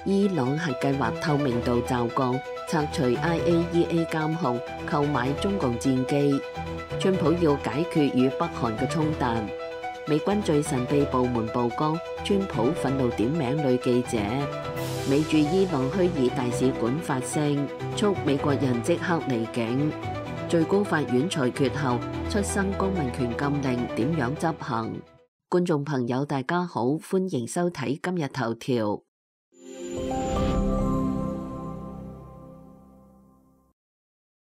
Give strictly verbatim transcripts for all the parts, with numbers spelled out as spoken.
伊朗核計劃透明度驟降，拆除 I A E A 監控，購買中共戰機。川普要解決與北韓嘅衝突。美軍最神秘部門曝光，川普憤怒點名女記者。美駐伊朗虛擬大使館發聲，促美國人即刻離境。最高法院裁決後，出生公民權禁令點樣執行？觀眾朋友大家好，歡迎收睇今日頭條。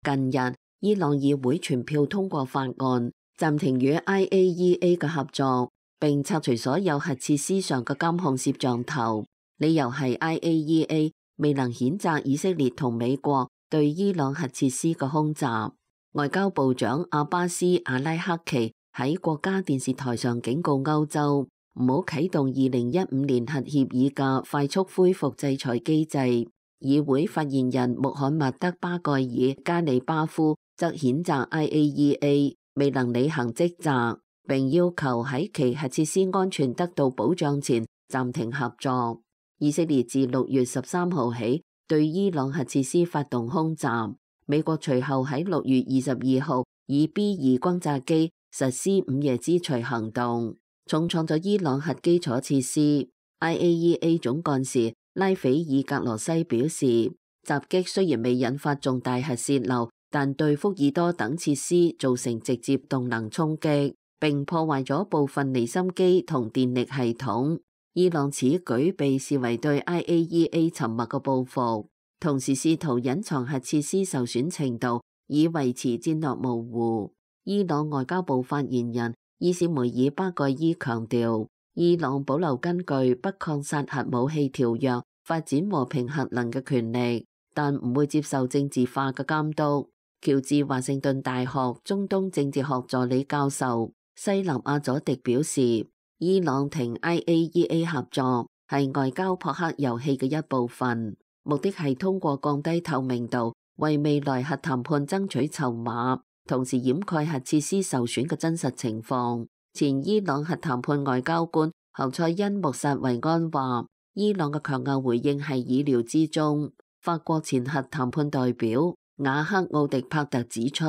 近日，伊朗議會全票通過法案，暫停與 I A E A 嘅合作，並拆除所有核設施上嘅監控攝像頭。理由係 I A E A 未能譴責以色列同美國對伊朗核設施嘅空襲。外交部長阿巴斯·阿拉克奇喺國家電視台上警告歐洲，唔好啟動二零一五年核協議嘅快速恢復制裁機制。議會發言人穆罕默德·巴蓋爾·加里巴夫則譴責 I A E A 未能履行職責，並要求喺其核設施安全得到保障前暫停合作。以色列自六月十三號起對伊朗核設施發動空襲，美國隨後喺六月二十二號以 B 二轟炸機實施午夜之錘行動，重創咗伊朗核基礎設施。I A E A 總幹事拉斐爾格羅西表示，襲擊雖然未引發重大核洩漏，但對福爾多等設施造成直接動能衝擊，並破壞咗部分離心機同電力系統。伊朗此舉被視為對 I A E A 沉默嘅報復，同時試圖隱藏核設施受損程度，以維持戰略模糊。伊朗外交部發言人伊斯梅爾巴蓋伊強調，伊朗保留根據不擴散核武器條約發展和平核能嘅權利，但唔會接受政治化嘅監督。喬治華盛頓大學中東政治學助理教授西納亞佐迪表示，伊朗停 I A E A 合作係外交撲克遊戲嘅一部分，目的係通過降低透明度，為未來核談判爭取籌碼，同時掩蓋核設施受損嘅真實情況。前伊朗核談判外交官侯賽因穆薩維安話，伊朗嘅強硬回應係意料之中。法國前核談判代表瓦克奧迪帕特指出，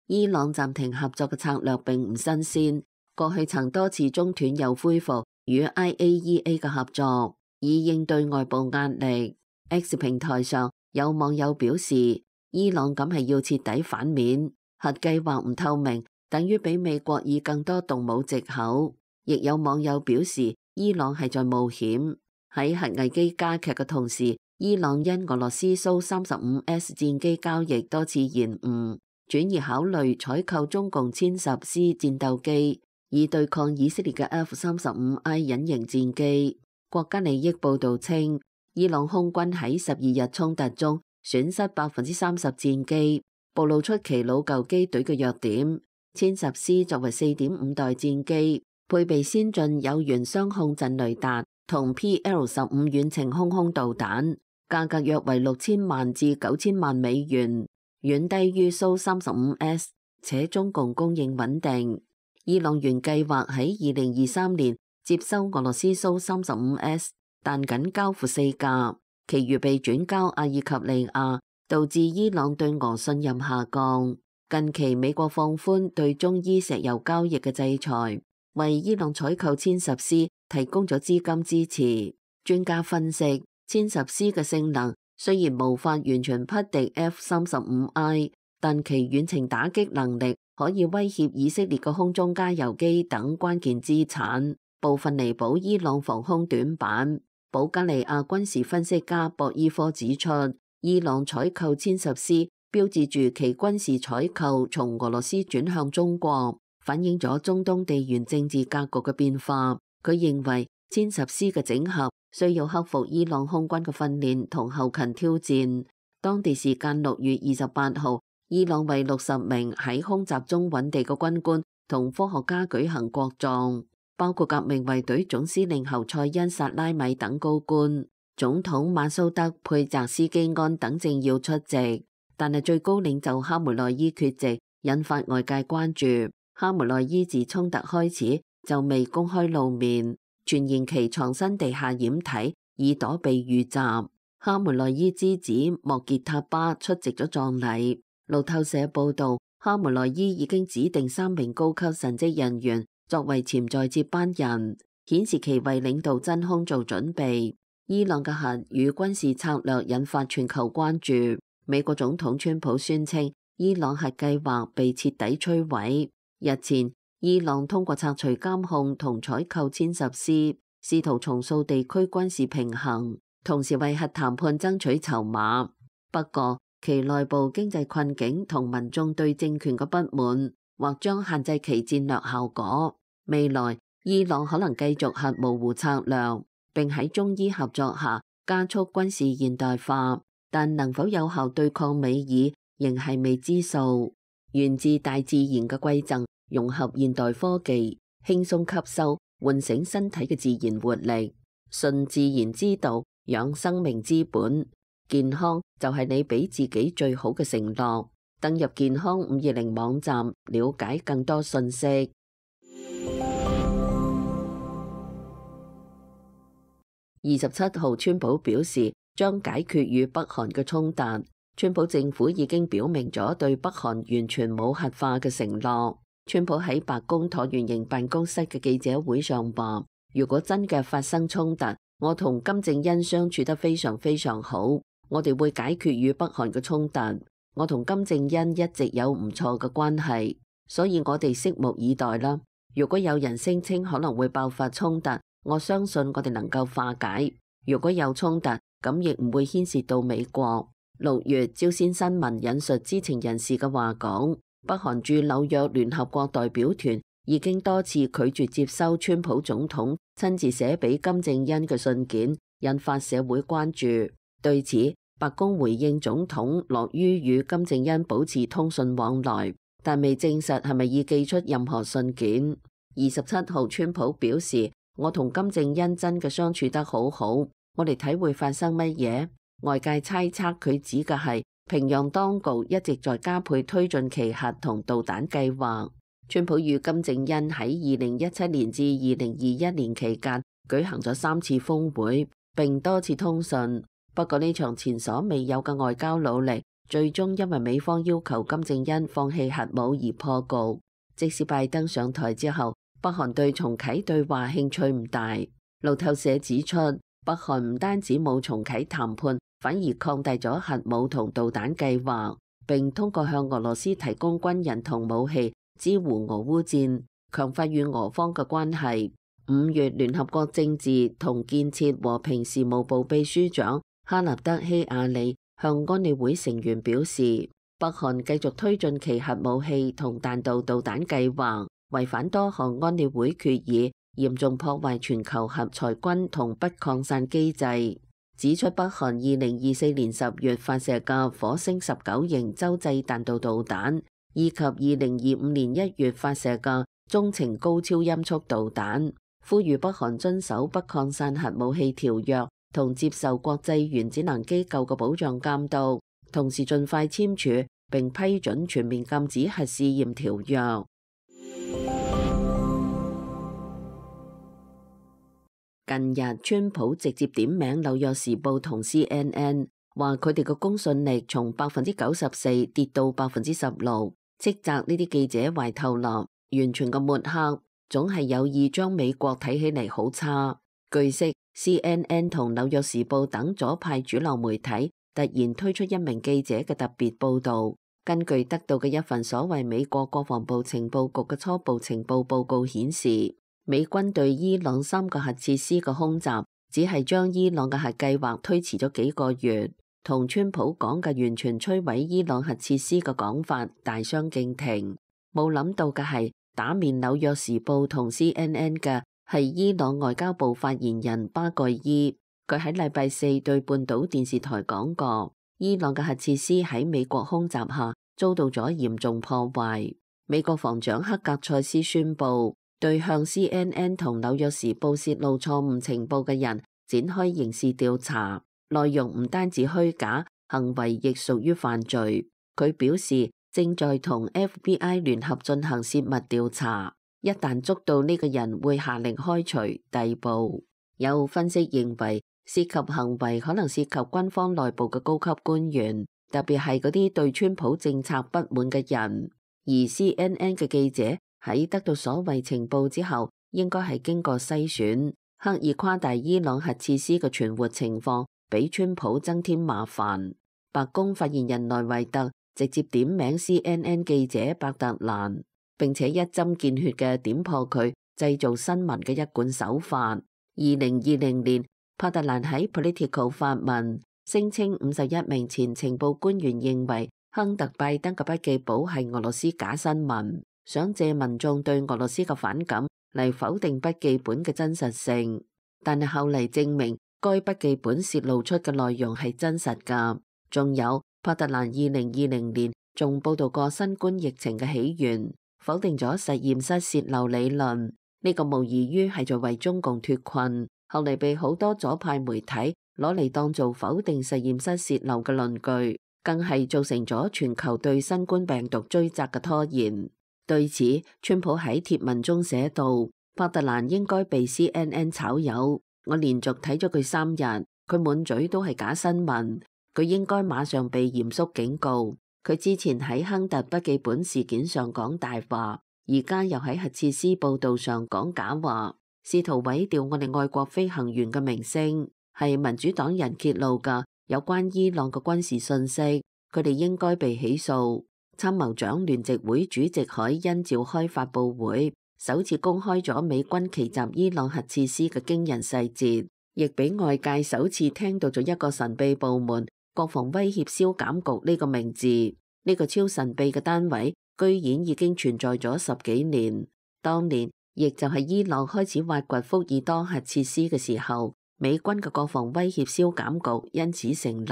伊朗暫停合作嘅策略並唔新鮮，過去曾多次中斷又恢復與 I A E A 嘅合作，以應對外部壓力。X 平台上有網友表示，伊朗咁係要徹底反面，核計劃唔透明，等於俾美國以更多動武藉口。亦有網友表示，伊朗係在冒險。喺核危機加劇嘅同時，伊朗因俄羅斯蘇三十五 S 戰機交易多次延誤，轉而考慮採購中共殲十 C 戰鬥機，以對抗以色列嘅 F 三十五 I 隱形戰機。國家利益報道稱，伊朗空軍喺十二日衝突中損失百分之三十戰機，暴露出其老舊機隊嘅弱點。殲十 C 作為四點五代戰機，配備先進有源雙控陣雷達同 P L 十五遠程空空導彈，價格約為六千萬至九千萬美元，遠低於蘇三十五 S， 且中共供應穩定。伊朗原計劃喺二零二三年接收俄羅斯蘇三十五 S， 但僅交付四架，其餘被轉交阿爾及利亞，導致伊朗對俄信任下降。近期美國放寬對中伊石油交易嘅制裁，為伊朗採購殲十 C 提供咗資金支持。專家分析，殲十 C 嘅性能雖然無法完全匹敵 F 三十五 I， 但其遠程打擊能力可以威脅以色列嘅空中加油機等關鍵資產，部分彌補伊朗防空短板。保加利亞軍事分析家博伊科指出，伊朗採購殲十 C，標誌住其軍事採購從俄羅斯轉向中國，反映咗中東地緣政治格局嘅變化。佢認為殲十 C 嘅整合需要克服伊朗空軍嘅訓練同後勤挑戰。當地時間六月二十八號，伊朗為六十名喺空襲中揾地嘅軍官同科學家舉行國葬，包括革命衛隊總司令侯賽因薩拉米等高官，總統馬蘇德佩澤斯基安等政要出席。但係最高領袖哈梅內伊缺席，引發外界關注。哈梅內伊自衝突開始就未公開露面，傳言其藏身地下掩體以躲避遇襲。哈梅內伊之子莫傑塔巴出席咗葬禮。路透社報道，哈梅內伊已經指定三名高級神職人員作為潛在接班人，顯示其為領導真空做準備。伊朗嘅核與軍事策略引發全球關注。美國總統川普宣稱伊朗核計劃被徹底摧毀。日前，伊朗通過拆除監控同採購殲十 C， 試圖重塑地區軍事平衡，同時為核談判爭取籌碼。不過，其內部經濟困境同民眾對政權嘅不滿，或將限制其戰略效果。未來，伊朗可能繼續核模糊策略，並喺中伊合作下加速軍事現代化，但能否有效對抗美爾，仍係未知數。源自大自然嘅饋贈，融合現代科技，輕鬆吸收，喚醒身體嘅自然活力。順自然之道，養生命之本。健康就係你俾自己最好嘅承諾。登入健康五二零網站，了解更多信息。二十七號，川普表示將解決與北韓嘅衝突。川普政府已經表明咗對北韓完全冇核化嘅承諾。川普喺白宮橢圓形辦公室嘅記者會上話，如果真嘅發生衝突，我同金正恩相處得非常非常好，我哋會解決與北韓嘅衝突。我同金正恩一直有唔錯嘅關係，所以我哋拭目以待啦。如果有人聲稱可能會爆發衝突，我相信我哋能夠化解。如果有衝突，咁亦唔會牽涉到美國。六月，朝鮮新聞引述知情人士嘅話講，北韓駐紐約聯合國代表團已經多次拒絕接收川普總統親自寫俾金正恩嘅信件，引發社會關注。對此，白宮回應總統樂於與金正恩保持通訊往來，但未證實係咪已寄出任何信件。二十七號，川普表示，我同金正恩真嘅相處得好好，我哋睇會發生乜嘢？外界猜測佢指嘅係平壤當局一直在加倍推進其核同導彈計劃。川普與金正恩喺二零一七年至二零二一年期間舉行咗三次峰會，並多次通訊。不過呢場前所未有嘅外交努力，最終因為美方要求金正恩放棄核武而破局。即使拜登上台之後，北韓對重啟對話興趣唔大。路透社指出，北韓唔單止冇重啟談判，反而擴大咗核武同導彈計劃，並通過向俄羅斯提供軍人同武器支援俄烏戰，強化與俄方嘅關係。五月，聯合國政治同建設和平事務部秘書長哈納德希亞里向安理會成員表示，北韓繼續推進其核武器同彈道導彈計劃，違反多項安理會決議，嚴重破壞全球核裁軍同不擴散機制。指出北韓二零二四年十月發射嘅火星十九型洲際彈道導彈，以及二零二五年一月發射嘅中程高超音速導彈，呼籲北韓遵守不擴散核武器條約同接受國際原子能機構嘅保障監督，同時盡快簽署並批准全面禁止核試驗條約。近日，川普直接點名紐約時報同 C N N， 話佢哋嘅公信力從百分之九十四跌到百分之十六，斥責呢啲記者壞透納，完全嘅抹黑，總係有意將美國睇起嚟好差。據悉 ，C N N 同紐約時報等左派主流媒體突然推出一名記者嘅特別報導。根據得到嘅一份所謂美國國防部情報局嘅初步情報報告顯示，美軍對伊朗三個核設施嘅空襲，只係將伊朗嘅核計劃推遲咗幾個月，同川普講嘅完全摧毀伊朗核設施嘅講法大相徑庭。冇諗到嘅係，打面紐約時報同 C N N 嘅係伊朗外交部發言人巴蓋伊。佢喺禮拜四對半島電視台講過，伊朗嘅核設施喺美國空襲下遭到咗嚴重破壞。美國防長克格塞斯宣布，對向 C N N 同紐約時報泄露錯誤情報嘅人展開刑事調查，內容唔單止虛假，行為亦屬於犯罪。佢表示正在同 F B I 聯合進行泄密調查，一旦捉到呢個人會下令開除、逮捕。有分析認為涉及行為可能涉及軍方內部嘅高級官員，特別係嗰啲對川普政策不滿嘅人。而 C N N 嘅記者喺得到所謂情報之後，應該係經過篩選，刻意誇大伊朗核設施嘅存活情況，俾川普增添麻煩。白宮發言人萊維特直接點名 C N N 記者伯特蘭，並且一針見血嘅點破佢製造新聞嘅一貫手法。二零二零年，伯特蘭喺 Politico 發文，聲稱五十一名前情報官員認為亨特拜登嘅筆記簿係俄羅斯假新聞，想借民眾對俄羅斯嘅反感嚟否定筆記本嘅真實性。但係後嚟證明，該筆記本泄露出嘅內容係真實㗎。仲有，伯特蘭二零二零年仲報道過新冠疫情嘅起源，否定咗實驗室泄漏理論。呢個無異於係在為中共脫困，後嚟被好多左派媒體攞嚟當做否定實驗室泄漏嘅論據，更係造成咗全球對新冠病毒追責嘅拖延。對此，川普喺貼文中寫道：伯特蘭應該被 C N N 炒魷，我連續睇咗佢三日，佢滿嘴都係假新聞，佢應該馬上被嚴肅警告。佢之前喺亨特筆記本事件上講大話，而家又喺核設施報導上講假話，試圖毀掉我哋外國飛行員嘅名聲，係民主黨人揭露嘅有關伊朗嘅軍事信息，佢哋應該被起訴。參謀長聯席會主席海恩召開發佈會，首次公開咗美軍奇襲伊朗核設施嘅驚人細節，亦俾外界首次聽到咗一個神秘部門國防威脅消減局呢個名字。呢個超神秘嘅單位居然已經存在咗十幾年。當年亦就係伊朗開始挖掘福爾多核設施嘅時候，美軍嘅國防威脅消減局因此成立，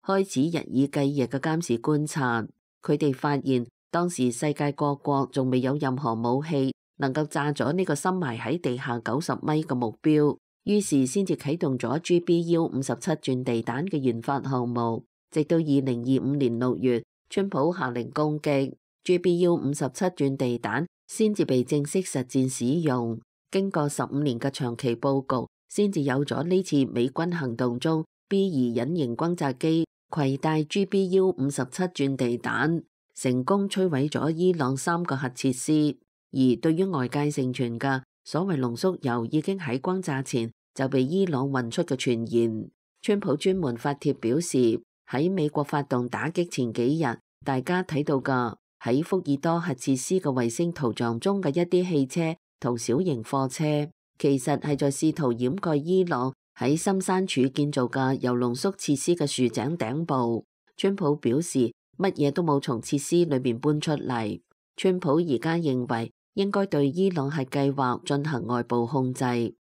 開始日以繼夜嘅監視觀察。佢哋發現當時世界各國仲未有任何武器能夠炸咗呢個深埋喺地下九十米嘅目標，於是先至啟動咗 G B U 五十七鑽地彈嘅研發項目。直到二零二五年六月，川普下令攻擊 G B U 五十七鑽地彈，先至被正式實戰使用。經過十五年嘅長期佈局，先至有咗呢次美軍行動中 B 二隱形轟炸機攜帶 G B U 五十七鑽地彈，成功摧毀咗伊朗三個核設施。而對於外界盛傳嘅所謂濃縮鈾已經喺轟炸前就被伊朗運出嘅傳言，川普專門發帖表示，喺美國發動打擊前幾日，大家睇到嘅喺福爾多核設施嘅衛星圖像中嘅一啲汽車同小型貨車，其實係在試圖掩蓋伊朗喺深山處建造嘅鈾濃縮設施嘅豎井頂部。川普表示，乜嘢都冇從設施裏面搬出嚟。川普而家認為應該對伊朗核計劃進行外部控制，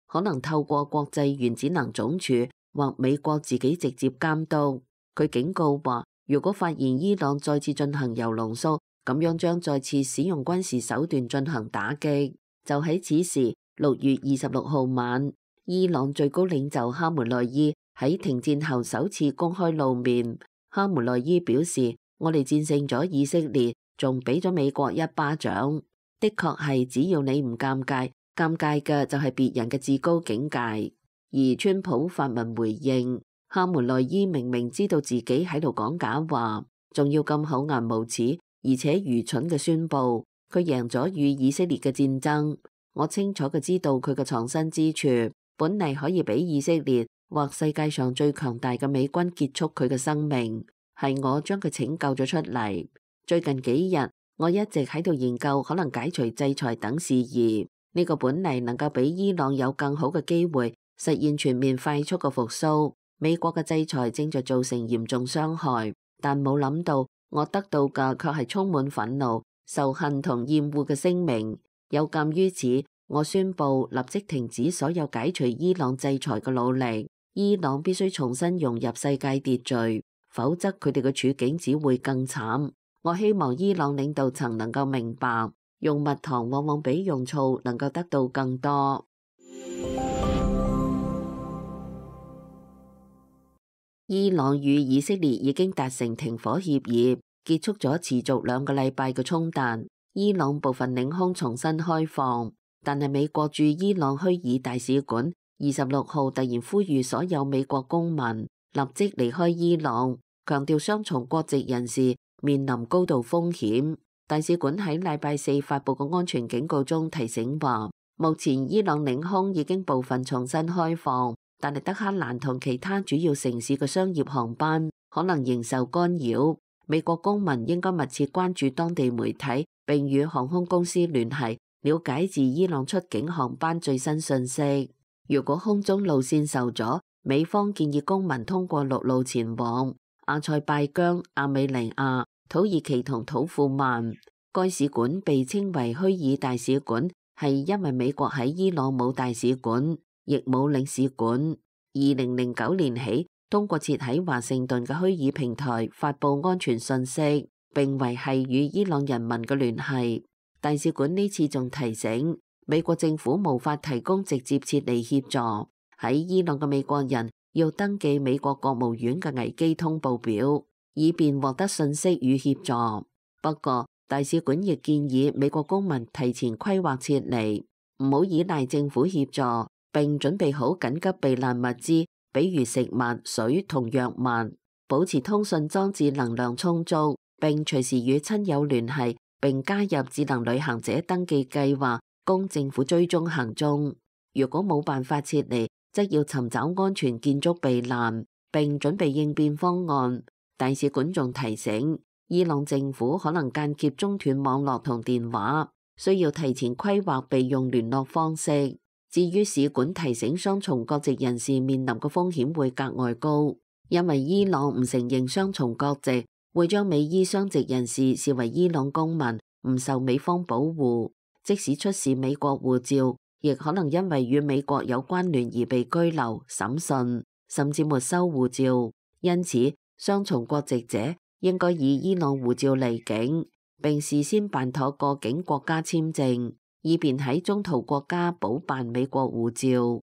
可能透過國際原子能總署或美國自己直接監督。佢警告話，如果發現伊朗再次進行鈾濃縮，咁樣將再次使用軍事手段進行打擊。就喺此時，六月二十六號晚，伊朗最高領袖哈梅內伊喺停戰後首次公開露面。哈梅內伊表示，我哋戰勝咗以色列，仲俾咗美國一巴掌。的確係，只要你唔尷尬，尷尬嘅就係別人嘅至高境界。而川普發文回應，哈梅內伊明明知道自己喺度講假話，仲要咁厚顏無恥而且愚蠢嘅宣布佢贏咗與以色列嘅戰爭。我清楚嘅知道佢嘅藏身之處，本嚟可以俾以色列或世界上最強大嘅美軍結束佢嘅生命，係我將佢拯救咗出嚟。最近幾日我一直喺度研究可能解除制裁等事宜，呢個本嚟能夠俾伊朗有更好嘅機會實現全面快速嘅復甦。美國嘅制裁正在造成嚴重傷害，但冇諗到我得到嘅卻係充滿憤怒、仇恨同厭惡嘅聲明。有鑑於此，我宣布立即停止所有解除伊朗制裁嘅努力。伊朗必須重新融入世界秩序，否則佢哋嘅處境只會更慘。我希望伊朗領導層能夠明白，用蜜糖往往比用醋能夠得到更多。伊朗與以色列已經達成停火協議，結束咗持續兩個禮拜嘅衝突。伊朗部分領空重新開放，但係美國駐伊朗虛擬大使館二十六號突然呼籲所有美國公民立即離開伊朗，強調雙重國籍人士面臨高度風險。大使館喺禮拜四發布嘅安全警告中提醒話，目前伊朗領空已經部分重新開放，但係德黑蘭同其他主要城市嘅商業航班可能仍受干擾。美國公民應該密切關注當地媒體，並與航空公司聯繫，了解自伊朗出境航班最新信息。如果空中路線受阻，美方建議公民通過陸路前往阿塞拜疆、亞美尼亞、土耳其同土庫曼。該使館被稱為虛擬大使館，係因為美國喺伊朗冇大使館，亦冇領事館。二零零九年起，通過設喺華盛頓嘅虛擬平台發布安全信息，並維繫與伊朗人民嘅聯繫。大使館呢次仲提醒，美國政府無法提供直接撤離協助，喺伊朗嘅美國人要登記美國國務院嘅危機通報表，以便獲得信息與協助。不過，大使館亦建議美國公民提前規劃撤離，唔好依賴政府協助，並準備好緊急避難物資，比如食物、水同藥物，保持通訊裝置能量充足，並隨時與親友聯繫，並加入智能旅行者登記計劃，供政府追蹤行蹤。如果冇辦法撤離，則要尋找安全建築避難，並準備應變方案。大使館仲提醒，伊朗政府可能間歇中斷網絡同電話，需要提前規劃備用聯絡方式。至於使館提醒雙重國籍人士面臨嘅風險會格外高，因為伊朗唔承認雙重國籍，會將美伊雙籍人士視為伊朗公民，唔受美方保護。即使出示美國護照，亦可能因為與美國有關聯而被拘留、審訊，甚至沒收護照。因此，雙重國籍者應該以伊朗護照離境，並事先辦妥過境國家簽證，以便喺中途國家補辦美國護照。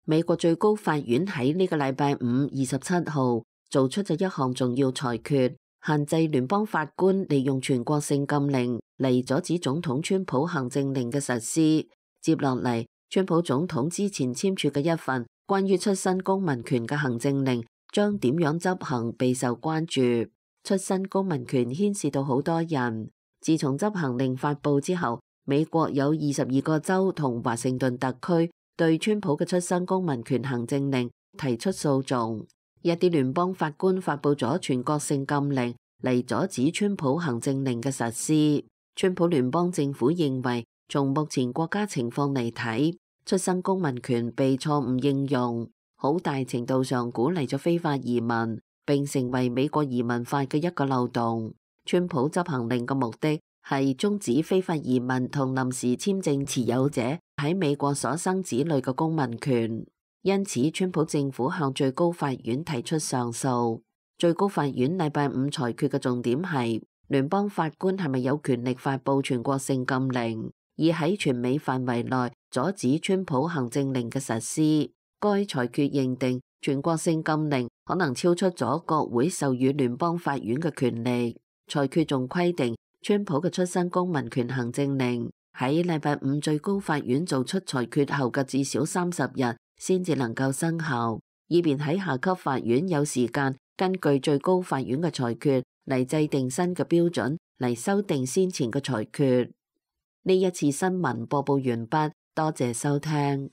美國最高法院喺呢個禮拜五二十七號做出咗一項重要裁決，限制聯邦法官利用全國性禁令嚟阻止總統川普行政令嘅實施。接落嚟，川普總統之前簽署嘅一份關於出身公民權嘅行政令將點樣執行備受關注。出身公民權牽涉到好多人。自從執行令發布之後，美國有二十二個州同華盛頓特區對川普嘅出身公民權行政令提出訴訟。一啲聯邦法官發布咗全國性禁令嚟阻止川普行政令嘅實施。川普聯邦政府認為，從目前國家情況嚟睇，出生公民權被錯誤應用，好大程度上鼓勵咗非法移民，並成為美國移民法嘅一個漏洞。川普執行令嘅目的係終止非法移民同臨時簽證持有者喺美國所生子女嘅公民權。因此，川普政府向最高法院提出上訴。最高法院禮拜五裁決嘅重點係聯邦法官係咪有權力發布全國性禁令，而喺全美範圍內阻止川普行政令嘅實施。該裁決認定全國性禁令可能超出咗國會授予聯邦法院嘅權力。裁決仲規定，川普嘅出身公民權行政令喺禮拜五最高法院做出裁決後嘅至少三十日先至能夠生效，以便喺下級法院有時間根據最高法院嘅裁決嚟制定新嘅標準嚟修訂先前嘅裁決。呢一次新聞播報完畢，多謝收聽。